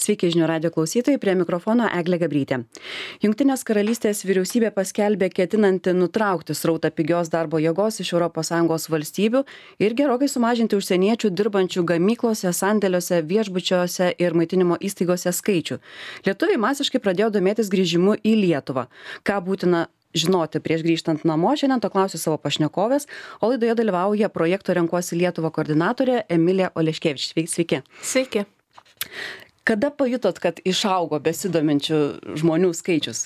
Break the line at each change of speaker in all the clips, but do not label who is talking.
Sveiki žinių radio klausytojai, prie mikrofono Eglė Gabrytė. Jungtinės karalystės vyriausybė paskelbė ketinanti nutraukti srautą pigios darbo jėgos iš ES valstybių ir gerokai sumažinti užsieniečių dirbančių gamyklose, sandėliuose, viešbučiuose ir maitinimo įstaigose skaičių. Lietuviai masiškai pradėjo domėtis grįžimu į Lietuvą. Ką būtina žinoti prieš grįžtant namo, šiandien to klausiu savo pašnekovės, o laidoje dalyvauja projekto Renkuosi Lietuvą koordinatorė Emilija Oleškevič. Sveiki.
Sveiki.
Kada pajutot, kad išaugo besidominčių žmonių skaičius?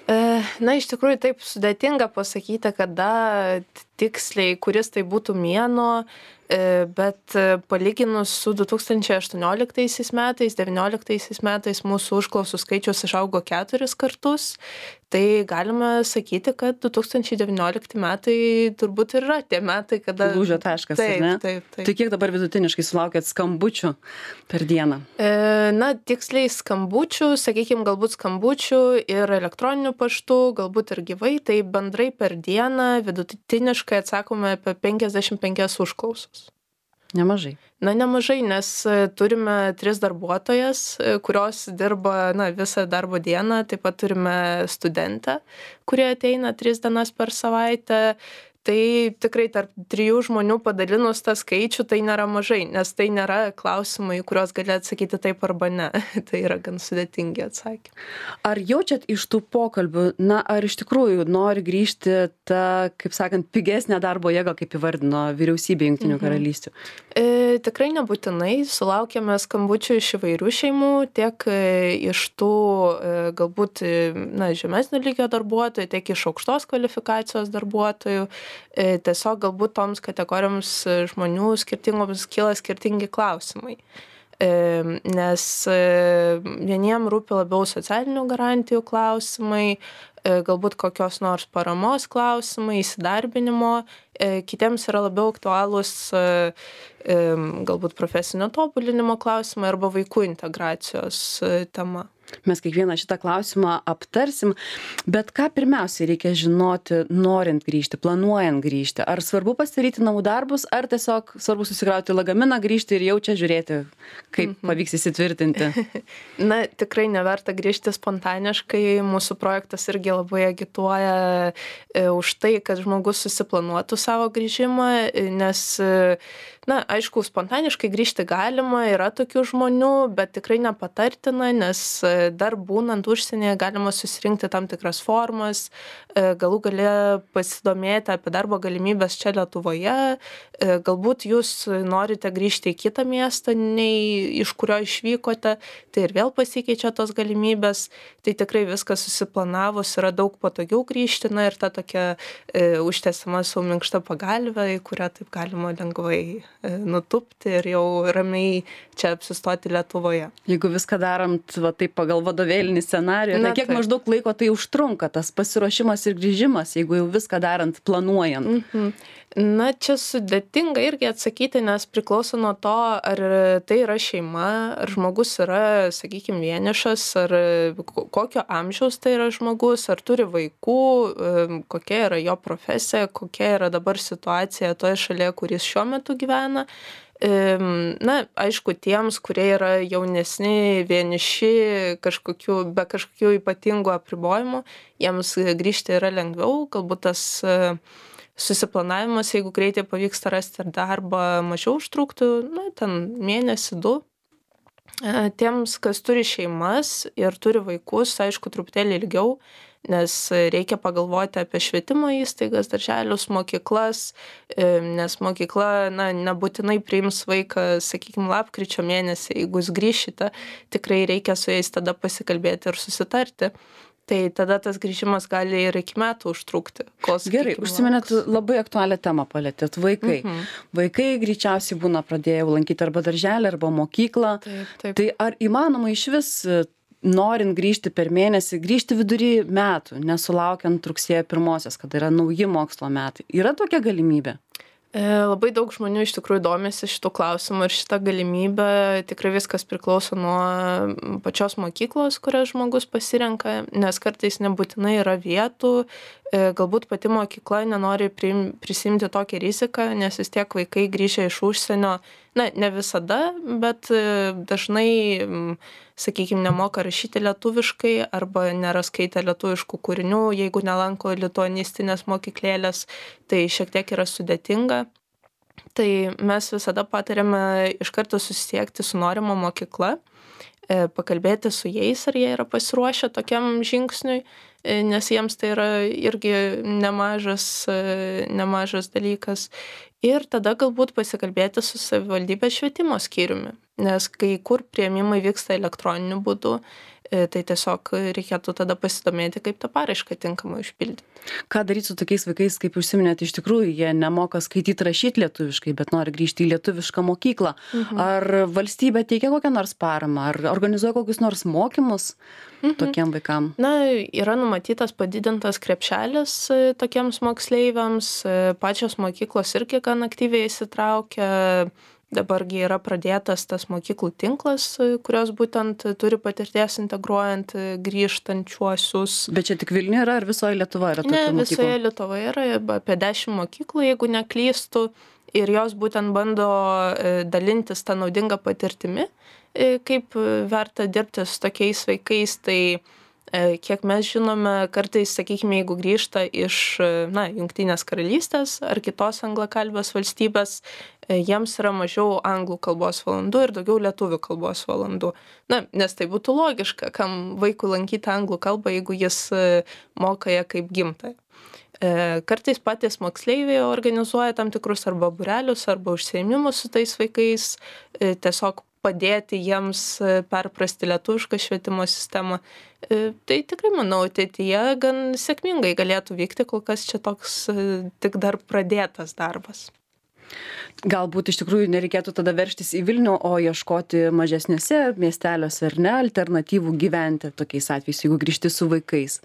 Na, iš tikrųjų taip sudėtinga pasakyti, kada tiksliai, kuris tai būtų mėnuo, bet palyginus su 2018 metais, 2019 metais mūsų užklausų skaičius išaugo 4 kartus, tai galime sakyti, kad 2019 metai turbūt ir yra tie metai, kada...
Lūžio taškas, ar ne?
Taip.
Tai kiek dabar vidutiniškai sulaukėt skambučių per dieną?
Na, tiksliai skambučių, sakykime, galbūt skambučių ir elektroniniu paštu, galbūt ir gyvai, tai bendrai per dieną vidutiniškai atsakome apie 55 užklausos.
Nemažai.
Na, nemažai, nes turime 3 darbuotojas, kurios dirba visą darbo dieną, taip pat turime studentę, kurie ateina 3 dienas per savaitę. Tai tikrai tarp 3 žmonių padalinus tą skaičių tai nėra mažai, nes tai nėra klausimai, kuriuos gali atsakyti taip arba ne. Tai yra gan sudėtingi atsakymai.
Ar jaučiat iš tų pokalbių, ar iš tikrųjų nori grįžti tą, kaip sakant, pigesnę darbo jėgą, kaip įvardino vyriausybė Jungtinių karalysčių?
Tikrai nebūtinai. Sulaukėme skambučių iš įvairių šeimų, tiek iš tų galbūt žemesnio lygio darbuotojų, tiek iš aukštos kvalifikacijos darbuotojų. Tiesiog galbūt toms kategorijoms žmonių skirtingoms kyla skirtingi klausimai. Nes vieniem rūpi labiau socialinių garantijų klausimai, galbūt kokios nors paramos klausimai, įsidarbinimo, kitiems yra labiau aktualūs galbūt profesinio tobulinimo klausimai arba vaikų integracijos tema.
Mes kiekvieną šitą klausimą aptarsim, bet ką pirmiausiai reikia žinoti, norint grįžti, planuojant grįžti? Ar svarbu pasidaryti namų darbus, ar tiesiog svarbu susikrauti lagaminą, grįžti ir jau čia žiūrėti, kaip pavyks įsitvirtinti?
Na, tikrai neverta grįžti spontaniškai. Mūsų projektas irgi labai agituoja už tai, kad žmogus susiplanuotų savo grįžimą, nes aišku, spontaniškai grįžti galima, yra tokių žmonių, bet tikrai nepatartina, nes dar būnant užsienyje galima susirinkti tam tikras formas, galų gale pasidomėti apie darbo galimybės čia Lietuvoje, galbūt jūs norite grįžti į kitą miestą, nei iš kurio išvykote, tai ir vėl pasikeičia tos galimybės, tai tikrai viskas susiplanavus yra daug patogiau grįžti, ir ta tokia užtęsiama su minkšta pagalvė, į kurią taip galima lengvai nutupti ir jau ramiai čia apsistoti Lietuvoje.
Jeigu viską darant taip pagal vadovėlinį scenarijų, kiek maždaug laiko tai užtrunka, tas pasiruošimas ir grįžimas, jeigu jau viską darant, planuojant?
Na, čia sudėtinga irgi atsakyti, nes priklauso nuo to, ar tai yra šeima, ar žmogus yra, sakykime, vienišas, ar kokio amžiaus tai yra žmogus, ar turi vaikų, kokia yra jo profesija, kokia yra dabar situacija toje šalyje, kuris šiuo metu gyvena. Na, aišku, tiems, kurie yra jaunesni, vieniši, be kažkokių ypatingų apribojimų, jiems grįžti yra lengviau, galbūt tas susiplanavimas, jeigu greitai pavyksta rasti darbą, mažiau užtruktų, ten mėnesį, 2. Tiems, kas turi šeimas ir turi vaikus, aišku, truputėlį ilgiau, nes reikia pagalvoti apie švietimo įstaigas, darželius, mokyklas, nes mokykla nebūtinai priims vaiką, sakykime, lapkričio mėnesį, jeigu jūs grįšite, tikrai reikia su jais tada pasikalbėti ir susitarti. Tai tada tas grįžimas gali ir iki metų užtrukti.
Gerai, užsiminėt labai aktualią temą palėtėt. Vaikai. Vaikai greičiausiai būna pradėję lankyti arba darželį, arba mokyklą.
Taip.
Tai ar įmanoma iš vis, norint grįžti per mėnesį, grįžti vidury metų, nesulaukiant rugsėjo 1, kada yra nauji mokslo metai? Yra tokia galimybė?
Labai daug žmonių iš tikrųjų domisi šitų klausimų ir šitą galimybę. Tikrai viskas priklauso nuo pačios mokyklos, kurią žmogus pasirenka, nes kartais nebūtinai yra vietų. Galbūt pati mokykla nenori prisimti tokią riziką, nes vis tiek vaikai grįžę iš užsienio Na, ne visada, bet dažnai, sakykime, nemoka rašyti lietuviškai arba nėra skaitę lietuviškų kūrinių, jeigu nelanko lituanistinės mokyklėlės, tai šiek tiek yra sudėtinga. Tai mes visada patariame iš karto susisiekti su norima mokykla, pakalbėti su jais, ar jie yra pasiruošę tokiam žingsniui, nes jiems tai yra irgi nemažas dalykas. Ir tada galbūt pasikalbėti su savivaldybės švietimo skyriumi, nes kai kur priėmimai vyksta elektroniniu būdu, tai tiesiog reikėtų tada pasidomėti, kaip tą paraišką tinkamai užpildyti.
Ką daryti su tokiais vaikais, kaip užsiminėte, iš tikrųjų jie nemoka skaityti, rašyti lietuviškai, bet nori grįžti į lietuvišką mokyklą. Ar valstybė teikia kokią nors paramą, ar organizuoja kokius nors mokymus tokiem vaikam?
Na, yra numatytas padidintas krepšelis tokiems moksleiviams, pačios mokyklos irgi gan aktyviai įsitraukia. Dabargi yra pradėtas tas mokyklų tinklas, kurios būtent turi patirties integruojant grįžtančiuosius.
Bet čia tik Vilniuje yra, ar visoje Lietuvoje yra tokių mokyklų?
Ne, visoje Lietuvoje yra apie 10 mokyklų, jeigu neklystu, ir jos būtent bando dalintis tą naudingą patirtimi, kaip verta dirbti su tokiais vaikais. Tai kiek mes žinome, kartais, sakykime, jeigu grįžta iš Jungtinės karalystės ar kitos anglakalbės valstybės, jiems yra mažiau anglų kalbos valandų ir daugiau lietuvių kalbos valandų. Nes tai būtų logiška, kam vaikui lankyti anglų kalbą, jeigu jis moka ją kaip gimtąją. Kartais patys moksleiviai organizuoja tam tikrus arba būrelius, arba užsiėmimus su tais vaikais, tiesiog padėti jiems perprasti lietuvišką švietimo sistemą. Tai tikrai, manau, ateityje gan sėkmingai galėtų vykti, kol kas čia toks tik dar pradėtas darbas.
Galbūt iš tikrųjų nereikėtų tada veržtis į Vilnių, o ieškoti mažesniuose miesteliuose, ar ne, alternatyvų gyventi tokiais atvejais, jeigu grįžti su vaikais?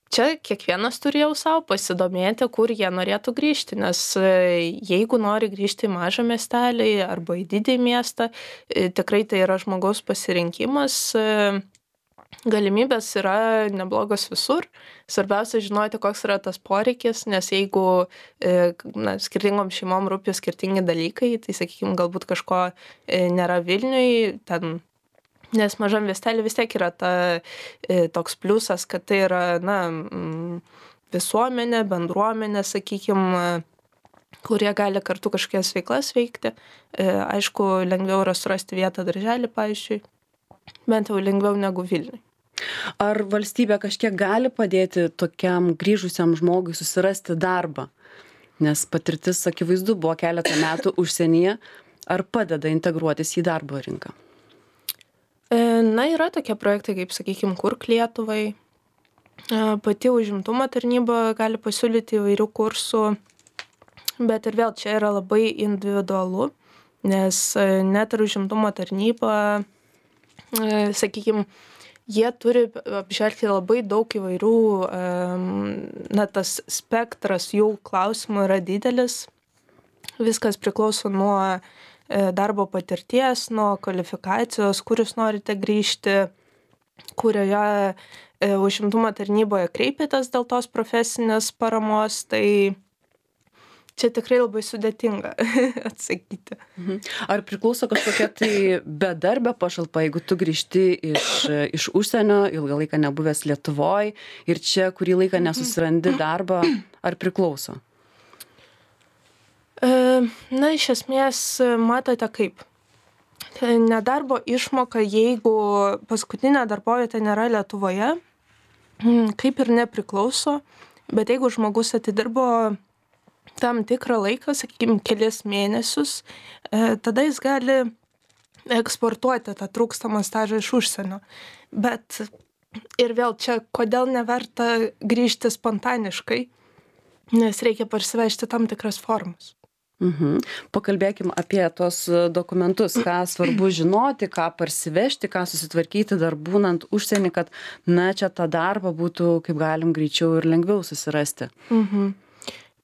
Čia kiekvienas turi jau savo pasidomėti, kur jie norėtų grįžti, nes jeigu nori grįžti į mažą miestelį arba į didįjį miestą, tikrai tai yra žmogaus pasirinkimas. Galimybės yra neblogos visur. Svarbiausia žinoti, koks yra tas poreikis, nes jeigu skirtingom šeimom rūpi skirtingi dalykai, tai, sakykime, galbūt kažko nėra Vilniui, nes mažam miestelį vis tiek yra toks pliusas, kad tai yra visuomenė, bendruomenė, sakykime, kurie gali kartu kažkokias veiklas veikti. Aišku, lengviau yra surasti vietą darželį, pavyzdžiui, bent jau lengviau negu Vilniui.
Ar valstybė kažkiek gali padėti tokiam grįžusiam žmogui susirasti darbą? Nes patirtis, akivaizdu, buvo keletą metų užsienyje. Ar padeda integruotis į darbo rinką?
Yra tokie projektai, kaip, sakykime, Kurk Lietuvai. Pati užimtumo tarnyba gali pasiūlyti įvairių kursų, bet ir vėl čia yra labai individualu, nes net ir užimtumo tarnyba, sakykime, jie turi apžvelgti labai daug įvairių, tas spektras jų klausimų yra didelis. Viskas priklauso nuo darbo patirties, nuo kvalifikacijos, kur jūs norite grįžti, kurioje užimtumo tarnyboje kreipėtės dėl tos profesinės paramos, tai čia tikrai labai sudėtinga atsakyti.
Ar priklauso kažkokia tai bedarbio pašalpa, jeigu tu grįžti iš užsienio, ilgą laiką nebuvęs Lietuvoj ir čia kurį laiką nesusirandi darbą, ar priklauso?
Iš esmės, matote kaip. Nedarbo išmoka, jeigu paskutinė darbovietė nėra Lietuvoje, kaip ir nepriklauso, bet jeigu žmogus atidirbo tam tikrą laiką, sakykime, kelis mėnesius, tada jis gali eksportuoti tą trūkstamą stažą iš užsienio. Bet ir vėl čia, kodėl neverta grįžti spontaniškai, nes reikia parsivežti tam tikras formas.
Pakalbėkim apie tos dokumentus, ką svarbu žinoti, ką parsivežti, ką susitvarkyti dar būnant užsienį, kad čia tą darbą būtų kaip galim greičiau ir lengviau susirasti.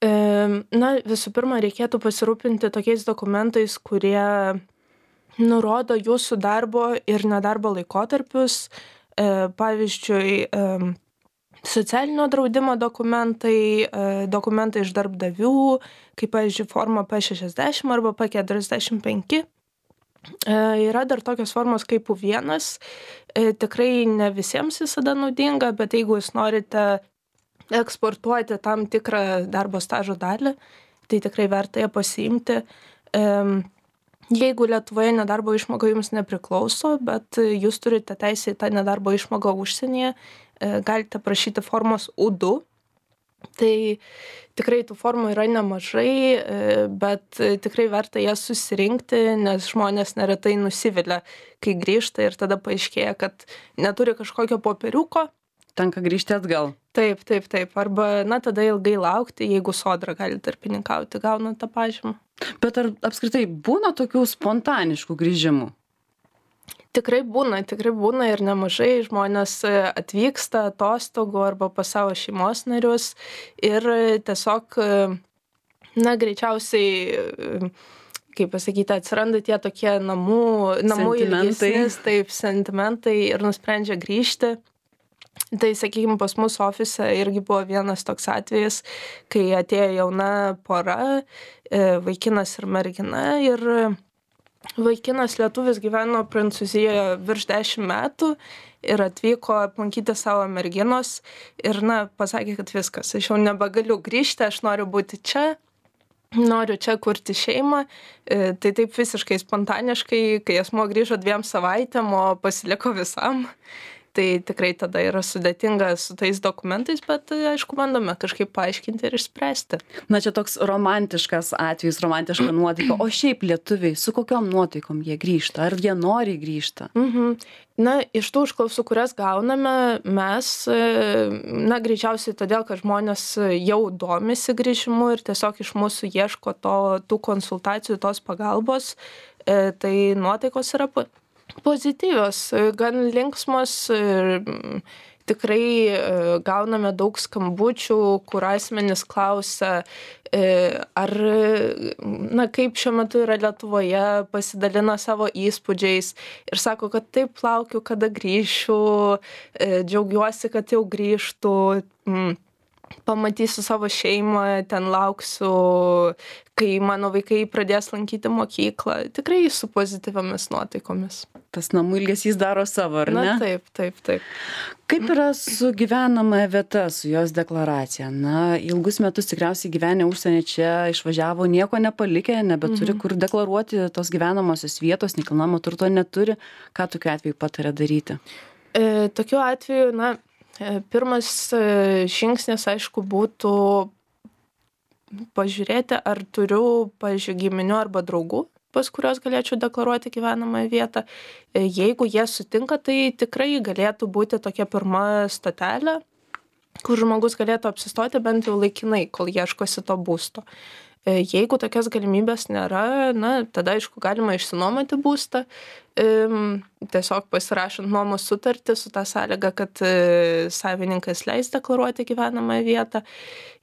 Visų pirma, reikėtų pasirūpinti tokiais dokumentais, kurie nurodo jūsų darbo ir nedarbo laikotarpius. Pavyzdžiui, socialinio draudimo dokumentai, dokumentai iš darbdavių, kaip, pavyzdžiui, forma P60 arba P45. Yra dar tokios formos kaip U1, tikrai ne visiems visada naudinga, bet jeigu jūs norite eksportuoti tam tikrą darbo stažo dalį, tai tikrai verta ją pasiimti. Jeigu Lietuvoje nedarbo išmoka jums nepriklauso, bet jūs turite teisę į tą nedarbo išmoką užsienyje, galite prašyti formos U2. Tai tikrai tų formų yra nemažai, bet tikrai verta jas susirinkti, nes žmonės neretai nusivilia, kai grįžta ir tada paaiškėja, kad neturi kažkokio popieriuko.
Tenka grįžti atgal.
Taip. Arba, tada ilgai laukti, jeigu Sodra gali tarpininkauti, gauna tą pažymą.
Bet ar apskritai būna tokių spontaniškų grįžimų?
Tikrai būna ir nemažai. Žmonės atvyksta atostogų arba pas savo šeimos narius ir tiesiog, greičiausiai, kaip pasakyti, atsiranda tie tokie namų ilgesnis, taip, sentimentai ir nusprendžia grįžti. Tai, sakykime, pas mūsų ofise irgi buvo vienas toks atvejis, kai atėjo jauna pora, vaikinas ir mergina, ir vaikinas lietuvis gyveno Prancūzijoje virš 10 metų ir atvyko aplankyti savo merginos ir, pasakė, kad viskas, aš jau nebegaliu grįžti, aš noriu būti čia, noriu čia kurti šeimą. Tai taip visiškai spontaniškai, kai asmuo grįžo 2 savaitėm, o pasiliko visam. Tai tikrai tada yra sudėtinga su tais dokumentais, bet aišku, bandome kažkaip paaiškinti ir išspręsti.
Čia toks romantiškas atvejis, romantiška nuotaika. O šiaip lietuviai, su kokiom nuotaikom jie grįžta? Ar jie nori grįžta?
Iš tų užklausų, kurias gauname, mes, greičiausiai todėl, kad žmonės jau domisi grįžimu ir tiesiog iš mūsų ieško tų konsultacijų, tos pagalbos, tai nuotaikos yra pozityvios, gan linksmos ir tikrai gauname daug skambučių, kur asmenys klausia, ar, kaip šiuo metu yra Lietuvoje, pasidalina savo įspūdžiais ir sako, kad taip laukiu, kada grįšiu, džiaugiuosi, kad jau grįžtu, pamatysiu savo šeimą, ten lauksiu, kai mano vaikai pradės lankyti mokyklą. Tikrai su pozityviamis nuotaikomis.
Tas namų ilgesys daro savo, ar ne?
Taip.
Kaip yra su gyvenamąja vieta, su jos deklaracija? Ilgus metus tikriausiai gyvenę užsienį čia išvažiavo, nieko nepalikę, nebeturi kur deklaruoti tos gyvenamosios vietos, nekilnojamo turto neturi. Ką tokiu atveju pataria daryti?
Tokiu atveju, pirmas žingsnis, aišku, būtų pažiūrėti, ar turiu, pavyzdžiui, giminių arba draugų, pas kurios galėčiau deklaruoti gyvenamąją vietą. Jeigu jie sutinka, tai tikrai galėtų būti tokia pirma stotelė, kur žmogus galėtų apsistoti bent jau laikinai, kol ieškosi to būsto. Jeigu tokios galimybės nėra, tada, aišku, galima išsinuomoti būstą, tiesiog pasirašant nuomos sutartį su tą sąlygą, kad savininkas leis deklaruoti gyvenamąją vietą.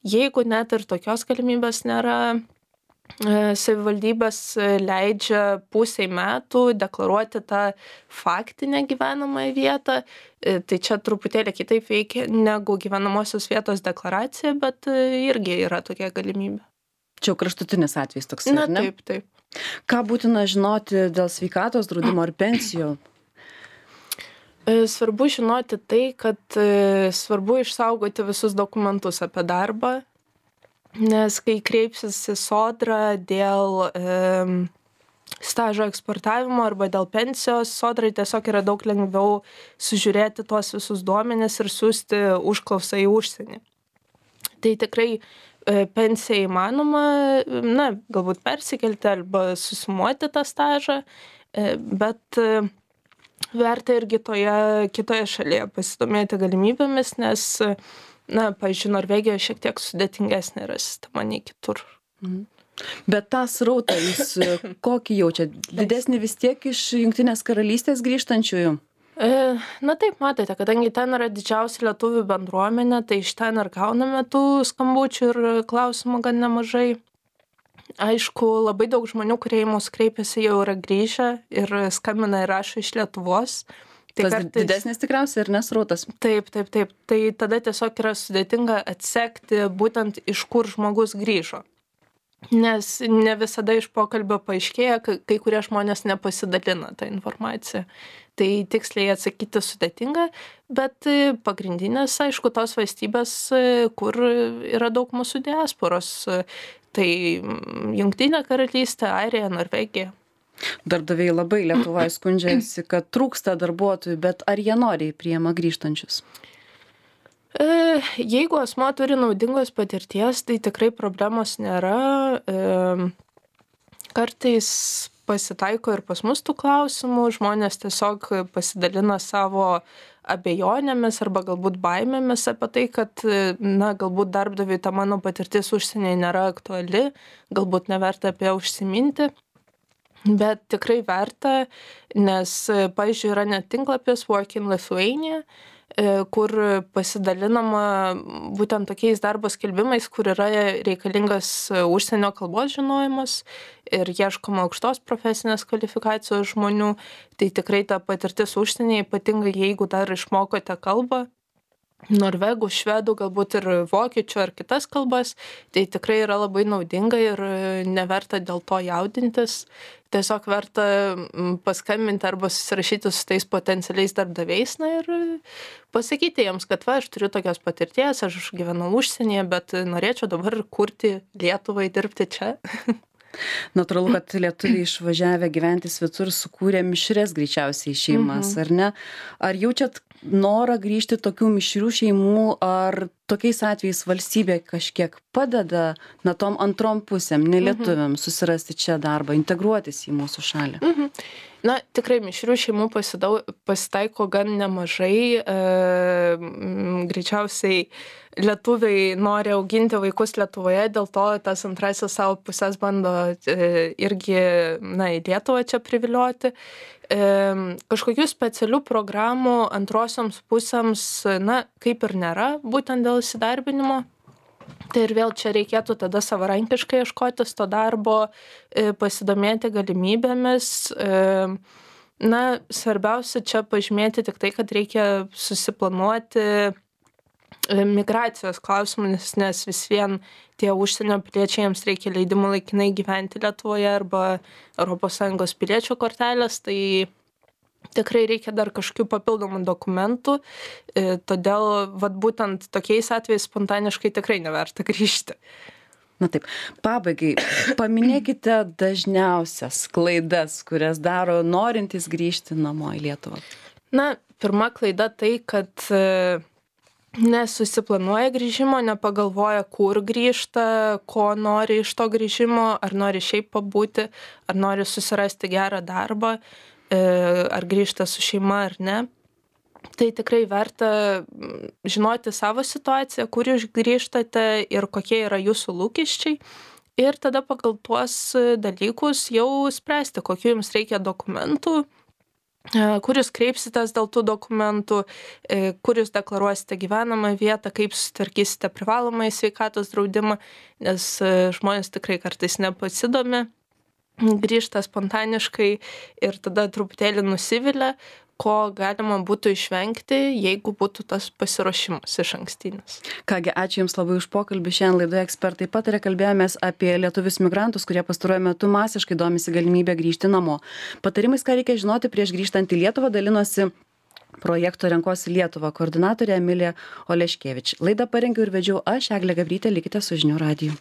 Jeigu net ir tokios galimybės nėra, savivaldybės leidžia pusei metų deklaruoti tą faktinę gyvenamąją vietą. Tai čia truputėlį kitaip veikia negu gyvenamosios vietos deklaracija, bet irgi yra tokia galimybė.
Čia kraštutinis atvejis toks, ar ne?
Taip.
Ką būtina žinoti dėl sveikatos draudimo ar pensijų?
Svarbu žinoti tai, kad svarbu išsaugoti visus dokumentus apie darbą, nes kai kreipsis į Sodrą dėl stažo eksportavimo arba dėl pensijos, Sodrai tiesiog yra daug lengviau sužiūrėti tuos visus duomenis ir siųsti užklausą į užsienį. Tai tikrai pensija įmanoma, galbūt persikelti arba susumuoti tą stažą, bet verta irgi kitoje šalyje pasidomėti galimybėmis, nes, pavyzdžiui, Norvegijoje šiek tiek sudėtingesnė yra sistema nei kitur.
Bet tą srautą jūs kokį jaučia? Didesnį vis tiek iš Jungtinės karalystės grįžtančiųjų?
Taip, matote, kadangi ten yra didžiausia lietuvių bendruomenė, tai iš ten ir gauname tų skambučių ir klausimų gan nemažai. Aišku, labai daug žmonių, kurie į mus kreipiasi, jau yra grįžę ir skambina ir rašo iš Lietuvos. Tai
Tas didesnis tikriausiai ir nesrautas.
Taip. Tai tada tiesiog yra sudėtinga atsekti būtent iš kur žmogus grįžo. Nes ne visada iš pokalbio paaiškėja, kai kurie žmonės nepasidalina tą informaciją. Tai tiksliai atsakyti sudėtinga, bet pagrindinės, aišku, tos valstybės, kur yra daug mūsų diasporos, tai Jungtinė karalystė, Airija, Norvegija.
Darbdaviai labai Lietuvoje skundžiasi, kad trūksta darbuotojų, bet ar jie noriai priima grįžtančius?
Jeigu asmuo turi naudingos patirties, tai tikrai problemos nėra. Kartais pasitaiko ir pas mus tų klausimų, žmonės tiesiog pasidalina savo abejonėmis arba galbūt baimėmis apie tai, kad, galbūt darbdaviui ta mano patirtis užsienyje nėra aktuali, galbūt neverta apie ją užsiminti. Bet tikrai verta, nes, pavyzdžiui, yra net tinklapis Work in Lithuania, kur pasidalinama būtent tokiais darbo skelbimais, kur yra reikalingas užsienio kalbos žinojimas ir ieškoma aukštos profesinės kvalifikacijos žmonių. Tai tikrai ta patirtis užsienyje, ypatingai jeigu dar išmokote kalbą, norvegų, švedų, galbūt ir vokiečių ar kitas kalbas, tai tikrai yra labai naudinga ir neverta dėl to jaudintis. Tiesiog verta paskambinti arba susirašyti su tais potencialiais darbdaviais, ir pasakyti jiems, kad aš turiu tokios patirties, aš gyvenau užsienyje, bet norėčiau dabar kurti Lietuvai, dirbti čia.
Natūralu, kad lietuviai išvažiavę gyventi svetur sukūrė mišres greičiausiai šeimas, ar ne? Ar jaučiat norą grįžti tokių mišrių šeimų, ar tokiais atvejais valstybė kažkiek padeda tom antrom pusėm, nelietuviam, susirasti čia darbą, integruotis į mūsų šalį?
Tikrai mišrių šeimų pasitaiko gan nemažai. Greičiausiai lietuviai nori auginti vaikus Lietuvoje, dėl to tas antrasis savo pusės bando irgi į Lietuvą čia privilioti. Kažkokių specialių programų antrosioms pusėms, kaip ir nėra, būtent dėl įsidarbinimo. Tai ir vėl čia reikėtų tada savarankiškai ieškotis to darbo, pasidomėti galimybėmis. Svarbiausia čia pažymėti tik tai, kad reikia susiplanuoti migracijos klausimus, nes vis vien tie užsienio piliečiai, jiems reikia leidimų laikinai gyventi Lietuvoje arba ES piliečio kortelės, tai tikrai reikia dar kažkokių papildomų dokumentų, todėl būtent tokiais atvejais spontaniškai tikrai neverta grįžti.
Taip, pabaigai, paminėkite dažniausias klaidas, kurias daro norintys grįžti namo į Lietuvą.
Pirma klaida tai, kad nesusiplanuoja grįžimo, nepagalvoja, kur grįžta, ko nori iš to grįžimo, ar nori šiaip pabūti, ar nori susirasti gerą darbą, ar grįžta su šeima ar ne. Tai tikrai verta žinoti savo situaciją, kur jūs grįžtate ir kokie yra jūsų lūkesčiai. Ir tada pagal tuos dalykus jau spręsti, kokių jums reikia dokumentų, kur jūs kreipsitės dėl tų dokumentų, kur jūs deklaruosite gyvenamą vietą, kaip sutvarkysite privalomąjį sveikatos draudimą, nes žmonės tikrai kartais nepasidomi, grįžta spontaniškai ir tada truputėlį nusivilia, ko galima būtų išvengti, jeigu būtų tas pasiruošimas išankstinis.
Kągi, ačiū Jums labai už pokalbį. Šiandien laidoje ekspertai pataria, kalbėjomės apie lietuvius migrantus, kurie pastaruoju metu masiškai domisi galimybę grįžti namo. Patarimais, ką reikia žinoti prieš grįžtant į Lietuvą, dalinosi projekto Renkuosi Lietuvą koordinatorė Emilija Oleškevič. Laidą parengiau ir vedžiau aš, Eglė Gabrytė, likite su Žinių radiju.